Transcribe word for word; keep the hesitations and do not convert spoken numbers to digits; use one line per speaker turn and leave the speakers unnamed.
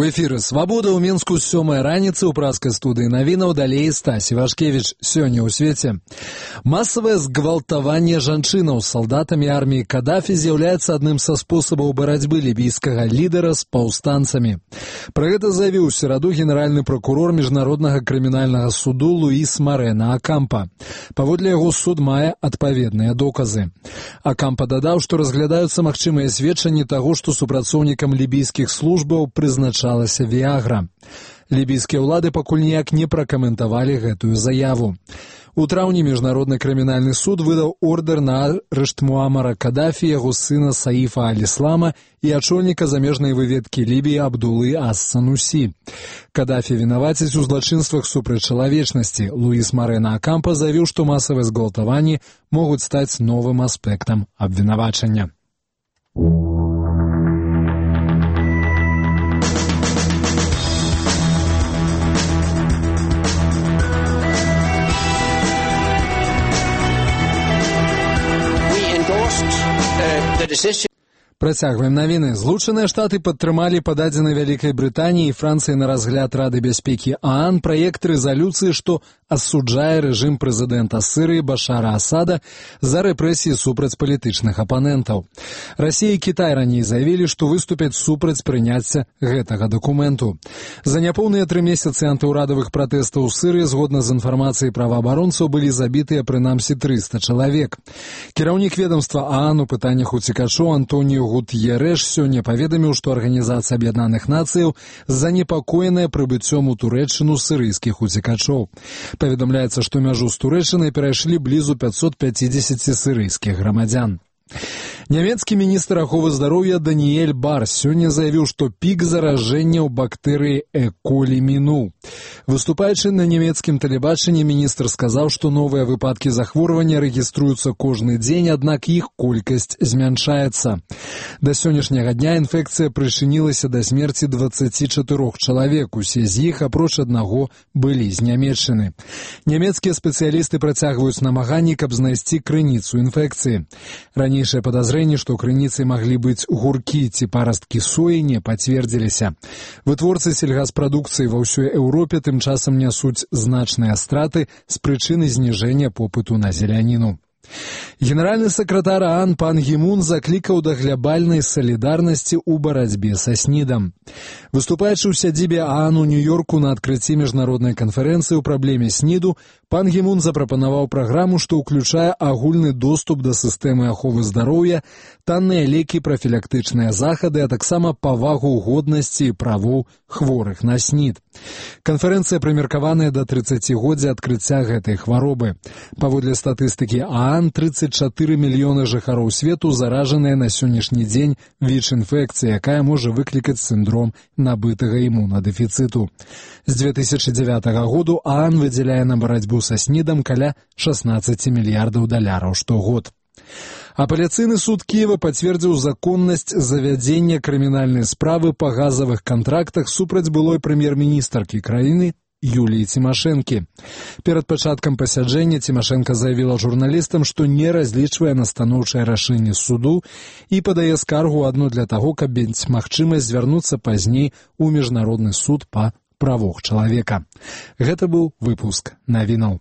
У эфіры «Свабода» ў Мінску з сёмай раніцы ў праскай студыі навінаў далей Стась Івашкевіч. Сёння ў свеце. Масавае згвалтаванне жанчынаў з салдатамі арміі Каддафі з'яўляецца адным са спосабаў барацьбы лібійскага лідара з паўстанцамі. Пра гэта заявіў у сераду генеральны пракурор Міжнароднага крымінальнага суду Луіс Марена Акампа. Паводле яго суд мае адпаведныя доказы. Акампа дадаў, што разглядаюцца магчымыя сведчанні таго, што супрацоўнікам лібійскіх службаў прызначалася Виагра. Лібійскія ўлады пакуль ніяк не пракаментавалі гэтую заяву. У траўні Міжнародны крымінальны суд выдаў ордэр на арышт Муамара Каддафі, яго сына Саіфа Аль-Іслама і ачольніка замежнай выведкі Лібіі Абдулы Ас-Санусі. Каддафі вінавацяць у злачынствах супраць чалавечнасці. Луіс Марена Акампа заявіў, што масавыя згвалтаванні могуць стаць новым аспектам абвінавачання. Працягваем навіны. Злучаныя Штаты падтрымалі пададзены Вялікай Брытаніі і Францыі на разгляд Рады бяспекі ААН праект рэзалюцыі, што асуджае рэжым прэзідэнта Сірыі Башара Асада за рэпрэсіі супраць палітычных апанентаў. Расія і Кітай раней заявілі, што выступяць супраць прыняцця гэтага дакументу. За няпоўныя тры месяцы антыўрадавых пратэстаў у Сірыі, згодна з інфармацыяй праваабаронцаў, былі забітыя прынамсі трыста чалавек. Кіраўнік ведамства ААН у пытаннях уцекачоў Антоніо Гут'ерэш сёння паведаміў, што Арганізацыя Аб'яднаных Нацыяў занепакоеная прыбыццём у Турэччыну сірыйскіх уцекачоў. Паведамляецца, што мяжу з Турэччынай перайшлі блізу пятьсот пятьдесят сірыйскіх грамадзян. Нямецкі міністр аховы здароўя Даніэль Барс сёння заявіў, што пік заражэння ў бактэрыі Э. колі мінуў. Выступаючы на нямецкім тэлебачанні, міністр сказаў, што новыя выпадкі захворвання рэгіструюцца кожны дзень, аднак іх колькасць змяншаецца. Да сённяшняга дня інфекцыя прычынілася да смерці дваццаці чатырох чалавек, усе з іх, апроч аднаго, былі з Нямецчыны. Нямецкія спецыялісты працягваюць намаганні, каб знайсці крыніцу інфекцыі. Ранейшае падазрэнне, што крыніцай маглі быць гуркі ці парасткі соі, не пацвердзіліся. Вытворцы сельгаспрадукцыі ва ўсёй Еўропе тым часам нясуць значныя страты з прычыны зніжэння попыту на зеляніну. Генеральны сакратар ААН пан Гі Мун заклікаў да глябальнай салідарнасці ў барацьбе са снідам. Выступаючы ў сядзібе ААН у Нью-Йорку на адкрыцці міжнароднай канферэнцыі ў праблеме сніду, пан Гі Мун запрапанаваў праграму, што ўключае агульны доступ да сістэмы аховы здароўя, танныя лекі, прафілактычныя захады, а таксама павагу годнасці і правоў хворых на снід. Канферэнцыя прымеркаваная да трыццацігоддзя адкрыцця гэтай хваробы. Паводле статыстыкі ААН, трыццаць чатыры мільёны жыхароў свету заражаныя на сённяшні дзень ВІЧ-інфекцыяй, якая можа выклікаць сіндром набытага імунадэфіцыту. З дзве тысячы дзявятага году ААН выдзяляе на барацьбу са снідам каля шаснаццаць мільярдаў даляраў штогод. Апеляцыйны суд Кіева пацвердзіў законнасць завядзення крымінальнай справы па газавых кантрактах супраць былой прэм'ер-міністркі краіны Юліі Цімашэнкі. Перад пачаткам пасяджэння Цімашэнка заявіла журналістам, што не разлічвае на станоўчае рашэнне суду і падае скаргу адну для таго, каб мець магчымасць звярнуцца пазней у Міжнародны суд па правах чалавека. Гэта быў выпуск навінаў.